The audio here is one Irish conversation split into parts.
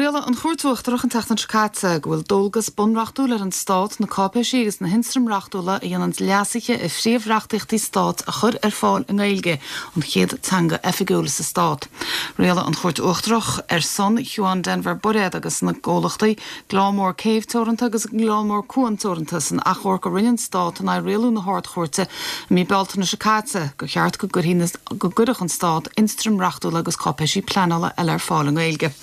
Rialaigh an Chúirt Uachtarach an tseachtain seo caite go bhfuil dualgas bunreachtúil ar an Stát na cáipéisí agus na hionstraim reachtúla a dhéanann leasuithe ar phríomh-reachtaíochtaí stáit a chur ar fáil i nGaeilge, an chéad teanga oifigiúil sa Stát. Rialaigh an Chúirt Uachtarach ar son Shiobhán Denvir Bairéad agus na gcomhlachtaí Gleann Mór Céibh Teoranta agus Gleann Mór Cuan Teoranta san achomharc a rinne an Stát in aghaidh rialú na hArd-Chúirte i mí Bealtaine seo caite gur cheart go gcuirfeadh an Stát ionstraim reachtúla agus cáipéisí pleanála eile ar fáil i nGaeilge.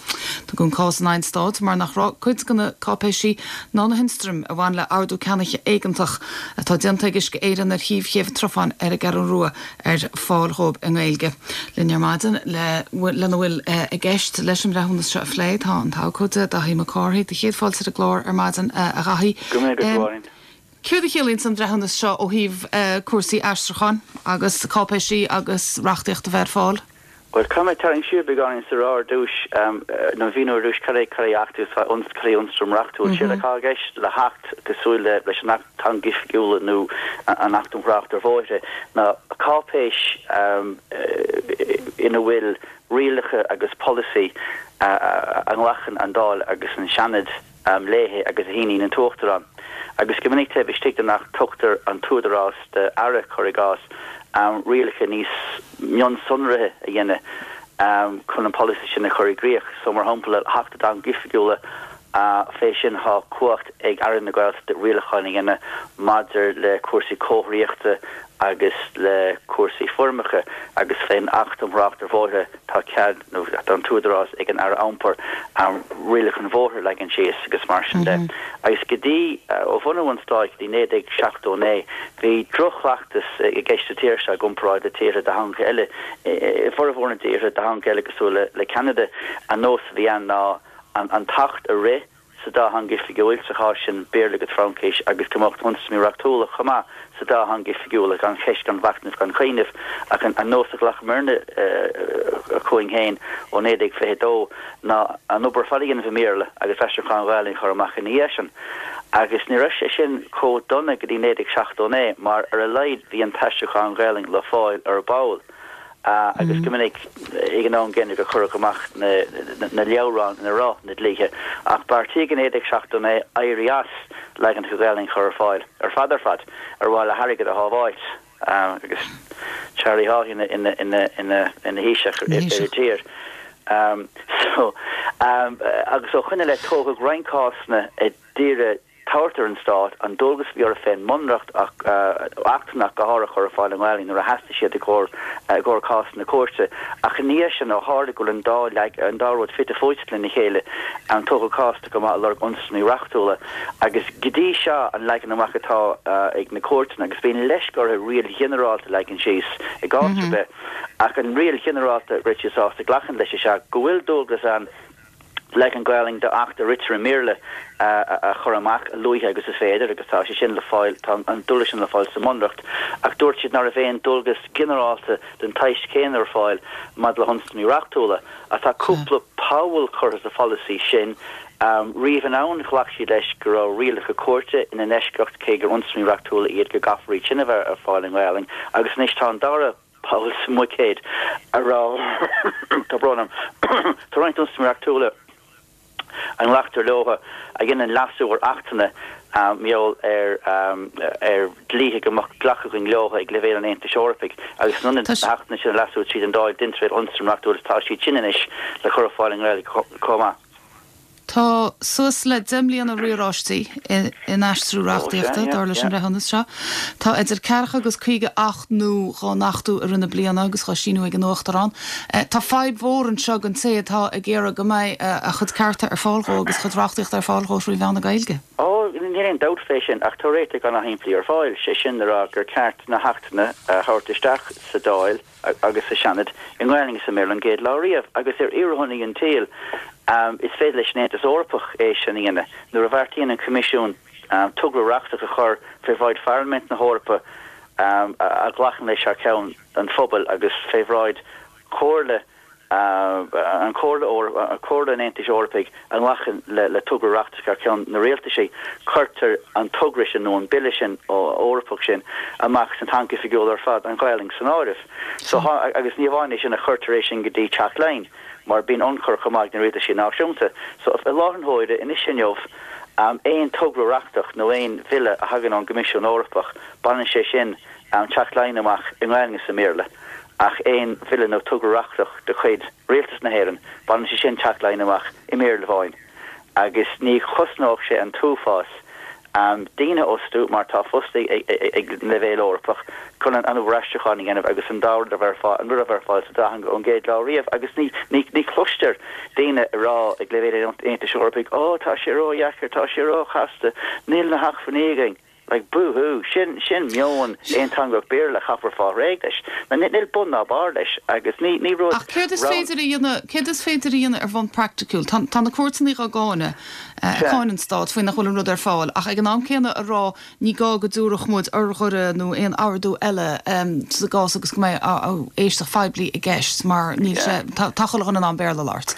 Tugadh an cás in aghaidh an Stáit mar nach raibh cuid de na cáipéisí ná na hionstraim a bhain le hordú ceannaithe éigeantach atá déanta ag Uisce Éireann ar shuíomh Chéibh an tSrutháin ar an gCeathrú Rua ar fáil dhóibh i nGaeilge. Linn ar maidin le lena bhfuil i gceist leis an mbreithiúnas seo a phlé tá an t-abhcóide Daithí Mac Cárthaigh. Do chéad fáilte ar an gclár ar maidin a Dhaithí. Go raibh maith agat, a Mháirín. Céard a chiallaíonns an breithiúnas seo ó thaobh cúrsaí aistriúcháin agus cáipéisí agus reachtaíocht a bheith ar fáil? Bhuel, caithfidh mé tarraingt siar beagáinín is a rá ar dtús, nó a mhíniú ar dtús cad é cad é Acht agus cad é ionstraim reachtúil. Séard atá i gceist le hAcht, cosúil le leis an Acht Teanga Oifigiúla nó an Acht um Thrácht ar Bhóithre, ná cáipéis ina bhfuil rialacha agus polasaí a nglacann an Dáil agus an Seanad léi agus a shíníonn an tUachtarán. Agus go minic taobh istigh den Acht tugtar an t-údarás d'Aire, cuir i gcás, rialacha níos mionsonraithe a dhéanamh chun an polasaí sin a chur i gcrích. So, mar shampla, le hAcht na dTeangacha Oifigiúla, fé sin tá cumhacht ag Aire na Gaeltachta rialacháin a dhéanamh maidir le cúrsaí comharthaíochta agus le cúrsaí foirmeacha agus fén Acht um Thrácht ar Bhóithre tá cead nó tá an t-údarás ag an Aire Iompair rialacha an bhóthair a leagan síos agus mar sin de. Agus go dtí, ó bhunú an Stáit go dtí 1979 bhí droch-chleachtas i gceist sa tír seo i gcomparáid le tíortha dátheangacha eile. I bhformhór na dtíortha dátheangacha eile cosúil le Ceanada, an nós a bhí ann ná an tAcht a rith, sa dá theanga oifigiúil, sa chás sin Béarla agus Fraincis, agus go mbeadh na hionstraimí reachtúla chomh maith sa dá theanga oifigiúla, gan cheist, gan mhachnamh, gan chuimhneamh. Ach an nós a ghlacamairne chugainn féin ó 1922 ná an obair ar fad a dhéanamh i mBéarla agus aistriúchán Ghaelainn a chur amach ina dhiaidh sin. Agus ní raibh sé sin chomh dona go dtí 1979 mar ar a laghad bhí an t-aistriúchán Ghaelainn le fáil ar ball. agus go minic ag an am gcéanna gur cuireadh amach na leabhráin ina raibh na dlíthe, ach beartaíodh i 1979 éirí as leaganacha Gaelainn a chur ar fáil ar fad ar fad ar mhaithe le hairgead a shábháilt agus Charlie Haughey ina Thaoiseach ar an tír. So, agus ó shoin i leith tógadh roinnt cásanna a d'iarraidh tabhairt ar an Stát an dualgas a bhí orthu fén mBunreacht ach achtanna ach go háirithe a chur ar fáil i nGaelainn nuair a theastaigh siad i gcomhair cásanna cúirte. Ach ina dhiaidh sin, ó tharla go bhfuil an dá leag, an dá rud fite fuaite lena chéile, tógadh cásanna chomh maith ag lorg ionstraimí reachtúla. Agus go dtí seo an leagan amach atá ag na cúirteanna, agus bíonn leisce orthu riail ghinearálta a leagan síos i gcás ar bith, ach an riail ghinearálta a raibh siad sásta glacadh leis is ea go bhfuil dualgas ann, leagan Gaelainn d'Acht a ritear i mBéarla a chur amach a luaithe agus is féidir agus tá sé sin le fáil, tá an dualgas sin le fáil sa mBunreacht ach dúirt siad ná raibh aon dualgas ginearálta den tsaghas céanna ar fáil maidir le hionstraimí reachtúla ach tá cúpla poll curtha sa pholasaí sin. Riamh anonn ghlac siad leis go raibh rialacha cúirte ina n-eisceacht cé gur ionstraimí reachtúla iad go gcaithfear iad sin a bheith ar fáil i nGaelainn agus anois tá an dara poll sa mbuicéad a raibh, tá brón orm, tá roinnt ionstraimí reachtúla a nglactar leo a dhéanann leasú ar achtanna mar gheall ar ar dhlíthe go mbeadh glactha againn leo ag leibhéal an Aontais Eorpaigh agus in ionad na hachtanna sin a leasú tríd an Dáil deintear iad ionstraim reachtúil tá siad sin anois le cur ar fáil i nGaeilge chomh maith. Tá suas le 10 mbliana riaráistí in aistriú reachtaíochta, dar leis an mbreithiúnas seo. Tá idir ceathracha agus 50 acht nua dhá n-achtú i rith na bliana agus dhá síniú ag an Uachtarán. Tá fadhb mhór anseo don té atá ag iarraidh go mbeidh a chuid cearta ar fáil dhó agus a chuid reachtaíochta ar fáil dhó trí mheán na Gaeilge. Ó, níl aon dabht fé sin, ach tá réiteach ana-shimplí ar fáil, sé sin le rá gur ceart na hachtanna a thabhairt isteach sa Dáil, agus sa Seanad i nGaelainn is i mBéarla an gcéad lá riamh, agus ar fhíordhona an tsaoil, is féidir leis an Aontas Eorpach é sin a dhéanamh. Nuair a bheartaíonn an Coimisiún togra reachtach a chur fé bhráid Pharlaimint na hEorpa, a ghlacann leis thar ceann an phobail, agus fé bhráid Chomhairle an Chomhairle, Comhairle an Aontais Eorpaigh a nglacann le togra reachtach thar ceann na rialtaisí, cuirtear an togra sin nó an bille sin Eorpach sin amach sna teangacha oifigiúla ar fad, an Ghaelainn san áireamh. So, agus ní amháin é sin ach cuirtear é sin go dtí Teach Laighean. mar bíonn ionchur chomh maith ag na rialtaisí náisiúnta. So, i láthair na huaire, anois inniu, aon togra reachtach nó aon bhille a thagann ón gCoimisiún Eorpach, baineann sé sin Teach Laighean amach i nGaelainn is i mBéarla, ach aon bhille nó togra reachtach de chuid Rialtas na hÉireann, baineann sé sin Teach Laighean amach i mBéarla amháin. Agus ní chosnódh sé an t-uafás daoine a fhostú, mar tá fostaí ag leibhéal Eorpach, chun an obair aistriúcháin a dhéanamh agus an dá rud a bheith ar fáil, an rud a bheith ar fáil sa dá theanga ón gcéad lá riamh. Agus ní, ní, ní chloistear daoine ag rá ag leibhéal an Aontais Eorpaigh, Ó, tá sé ródheacair, tá sé róchasta, níl na hacmhainní againn. Like, boo hoo, sin, sin meon aonteangach Béarla, chaithfear fáil réidh leis. Now, níl bun ná barr leis agus ní, ní rud Ach céard is féidir a dhéanamh, céard is féidir a dhéanamh ar bhonn praiticiúil? Tá, tá na cúirteanna dhá gcáineadh, ag cáineadh an Stáit faoi nach bhfuil an rud ar fáil, ach ag an am céanna a rá ní gá go dtabharfadh muid urghaire nó aon ordú eile sa gcás agus go mbeidh éisteacht phoiblí i gceist mar níl sé, tá, tá chuile dhuine in ann Béarla a labhairt,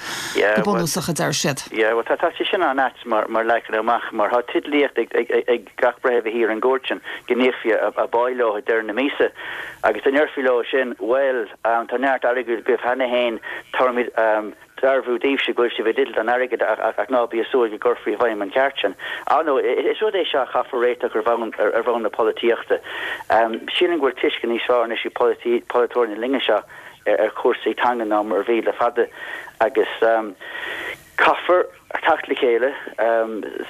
go bunúsach, a deir siad. Yeah, bhuel, tá, tá sé sin an-ait mar, mar leagan amach, mar tá teidlíocht ag, ag, ag gach breitheamh a shuí ar an gcúirt sin go n-íocfaí a bpá leo ag deireadh na míosa. Agus dá ndéarfaí leo sin, bhuel, tá neart airgid agaibh cheana féin, tabharfaimid dearbhú daoibhse go bhfuil sibh i dteideal don airgead ach ná bí ag súil go gcuirfí i bhfeidhm an ceart sin. Ar ndóigh, is rud é seo a chaithfear réiteach ar bhonn ar bhonn na polaitíochta. Sílim go bhfuil tuiscint níos fearr anois ag polaiteoirí na linne seo ar chúrsaí teanga ná mar a bhí le fada agus caithfear teacht le chéile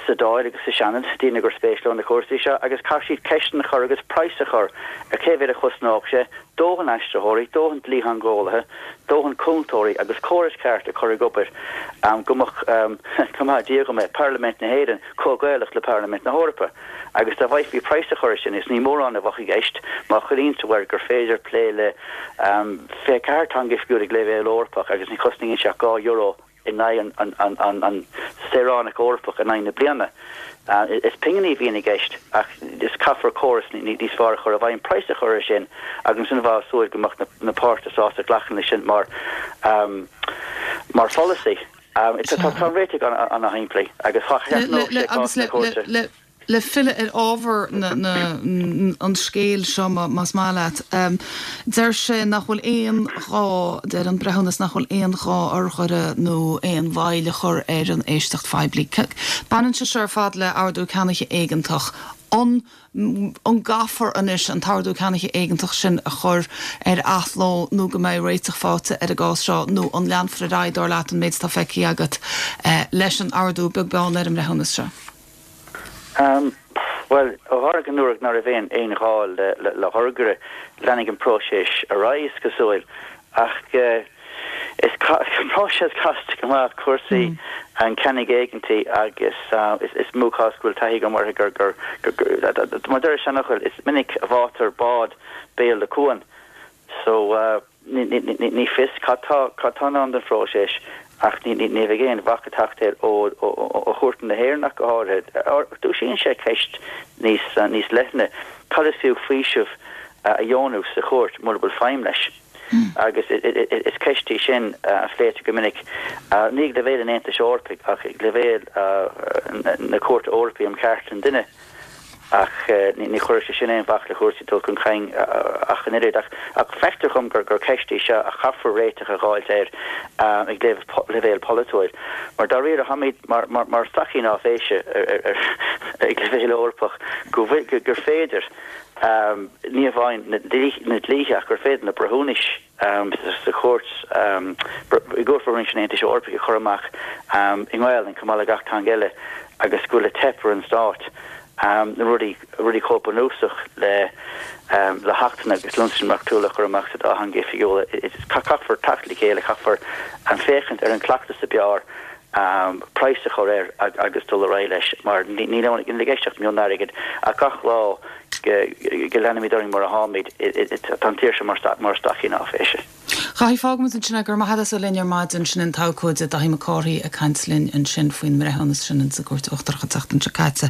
sa Dáil agus sa Seanad, daoine gur spéis leo na cúrsaí seo, agus caithfidh siad ceisteanna a chur agus praghas a chur ar cé mhéad a chosnódh sé, dóthain aistritheoirí, dóthain dlítheangeolaithe, dóthain cúntóirí agus córas ceart a chur ag obair go mbeadh, go maithe Dia dhom é, Parlaimint na hÉireann chomh Gaelach le Parlaimint na hEorpa. Agus dá bhfaighfí praghas a chur air sin, is ní mórán a bheadh i gceist, má chuimhníonn tú air gur féidir plé le 24 teanga oifigiúil ag leibhéal Eorpach agus ní chosnaíonn sé ach €2 in aghaidh an saoránach Eorpach in aghaidh na bliana. Is pinginí a bhíonn i gceist ach is caithfear córas níos fearr a chur i bhfeidhm, praghas a chur air sin agus ansin bheifeá ag súil go mbeadh na páirtithe sásta glacadh leis sin mar mar pholasaí. Tá an réiteach an-shimplí agus sheachnódh sé cás na cúirte. Le filleadh ar ábhar an scéil seo, más maith leat, deir sé nach bhfuil aon ghá, deir an breithiúnas nach bhfuil aon ghá urghaire nó aon mhoill a chur ar an éisteacht phoiblí. Baineann sé seo ar fad le ordú ceannaithe éigeantach. An an gcaithfear anois an t-ordú ceannaithe éigeantach sin a chur ar athló nó go mbeidh réiteach faighte ar an gcás seo nó an leanfar ar aghaidh, dar leat, an méid atá feicthe agat, leis an ordú, beag beann ar an mbreithiúnas seo? Bhuel, ó tharla go ndúradh ná raibh aon aon ghá le hurghaire, leanfaidh an próiseas ar aghaidh, is cosúil. Ach is próiseas casta go maith cúrsaí an cheannaigh éigeantaigh agus is mó cás go bhfuil taithí agam orthu gur, gur, mar deir an seanfhocal, is minic a bháitear bád béal le cuan. So. Ní fios cad tá i ndán don phróiseas ach ní bheidh aon bhac ag teacht air ó chúirteanna na hÉireann ach go háirithe. Dúisíonn sé ceist níos leithne, cad is fiú faoiseamh a dheonú sa chúirt mura bhfuil feidhm leis? Agus is ceist í sin a phléitear go minic, ní ag leibhéal an Aontais Eorpaigh ach ag leibhéal na Cúirte Eorpaí um Chearta an Duine. Ach ní chuirfeadh sé sin aon bhac le cúrsaí dul chun cinn ach an oiread. Ach feictear dhom gur ceist í seo a chaithfear réiteach a dh'fháilt air ag leibhéal polaitiúil. Mar dáiríre, táimid mar staicín áiféise ag leibhéal Eorpach go bhfuil, gur féidir, ní amháin na dlíthe ach gur féidir na breithiúnais, sa chúirt, i gCúirt Bhreithiúnais an Aontais Eorpaigh a chur amach i nGaelainn chomh maith le gach teanga eile agus go bhfuil ag teip ar an stát na rudaí, rudaí chomh bunúsach le le hachtanna agus le hionstraimí reachtúla a chur amach sa dá theanga oifigiúla. Caithfear teacht le chéile, caithfear féachaint ar an gcleachtas ab fhearr, praghas a chur air agus dul ar aghaidh leis mar níl i gceist ach mionairgead ach gach lá go leanaimid orainn mar atáimid, tá an tír seo mar staicín áiféise. A Dhaithí, fágfaimid ansin é. Go raibh maith agat as a bheith linn ar maidin. Sin an t-abhcóide Daithí Mac Cárthaigh ag caint linn ansin faoin mbreithiúnas sin insa gCúirt Uachtarach an tseachtain seo caite.